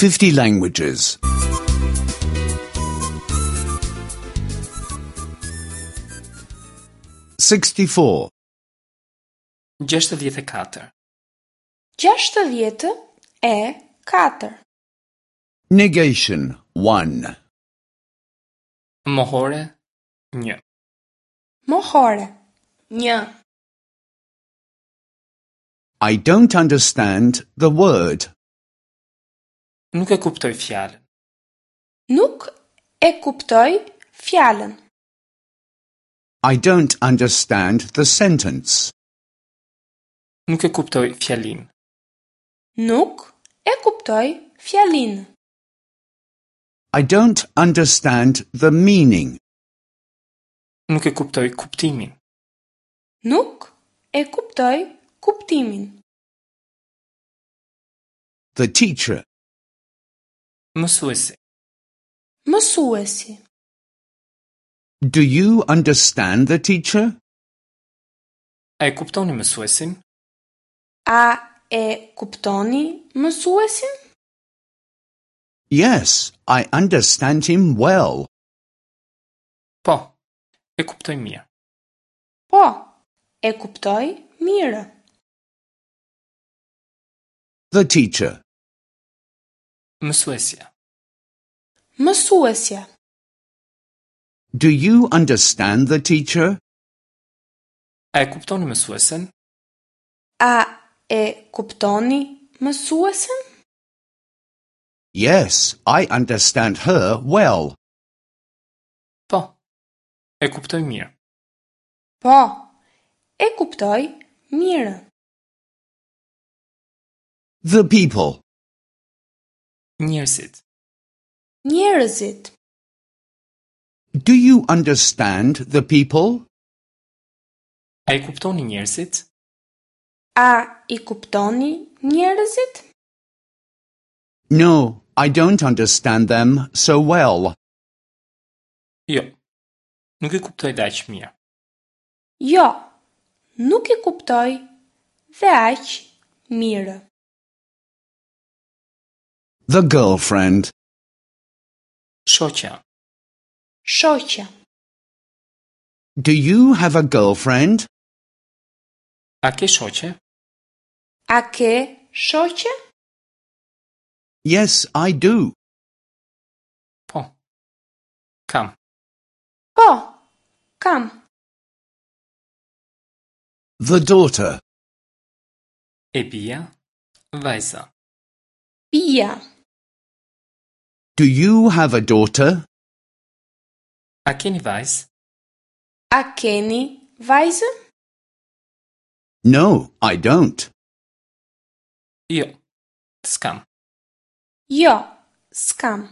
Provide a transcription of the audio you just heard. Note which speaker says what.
Speaker 1: 50 languages. 64.
Speaker 2: 64.
Speaker 3: 64.
Speaker 1: Negation 1.
Speaker 2: Mohore 1.
Speaker 3: Mohore. 1.
Speaker 1: I don't understand the word.
Speaker 2: Nuk e kuptoj fjalën.
Speaker 3: Nuk e kuptoj fjalën.
Speaker 1: I don't understand the sentence.
Speaker 2: Nuk e kuptoj fjalinë.
Speaker 3: Nuk e kuptoj fjalinë.
Speaker 1: I don't understand the meaning.
Speaker 2: Nuk e kuptoj kuptimin.
Speaker 3: Nuk e kuptoj kuptimin.
Speaker 1: The teacher.
Speaker 2: Mësuesi.
Speaker 3: Mësuesi.
Speaker 1: Do you understand the teacher?
Speaker 2: A e kuptoni mësuesin?
Speaker 3: A e kuptoni mësuesin?
Speaker 1: Yes, I understand him well.
Speaker 2: Po. E kuptoj mirë.
Speaker 3: Po, e kuptoj mirë.
Speaker 1: The teacher.
Speaker 2: Mësuesja.
Speaker 3: Mësuesja.
Speaker 1: Do you understand the teacher?
Speaker 2: A e kuptoni mësuesen?
Speaker 3: A e kuptoni mësuesen?
Speaker 1: Yes, I understand her well.
Speaker 2: Po. E kuptoj mirë.
Speaker 3: Po, e kuptoj mirë.
Speaker 1: The people.
Speaker 2: Njerëzit.
Speaker 3: Njerëzit.
Speaker 1: Do you understand the people?
Speaker 2: A i kuptoni njerëzit?
Speaker 3: A i kuptoni njerëzit?
Speaker 1: No, I don't understand them so well.
Speaker 2: Jo. Nuk i kuptoj dhe aq mirë.
Speaker 3: Jo, nuk i kuptoj dhe aq mirë.
Speaker 1: The girlfriend.
Speaker 2: Shoqja.
Speaker 3: Shoqja.
Speaker 1: Do you have a girlfriend?
Speaker 2: A ke shoqe?
Speaker 3: A ke shoqe?
Speaker 1: Yes, I do.
Speaker 2: Po. Kam.
Speaker 3: Po, kam.
Speaker 1: The daughter.
Speaker 2: E bia, vajza.
Speaker 3: Bia.
Speaker 1: Do you have a daughter?
Speaker 2: A keni vajzë?
Speaker 3: A keni vajzë?
Speaker 1: No, I don't.
Speaker 2: Jo. S'kam.
Speaker 3: Jo, s'kam.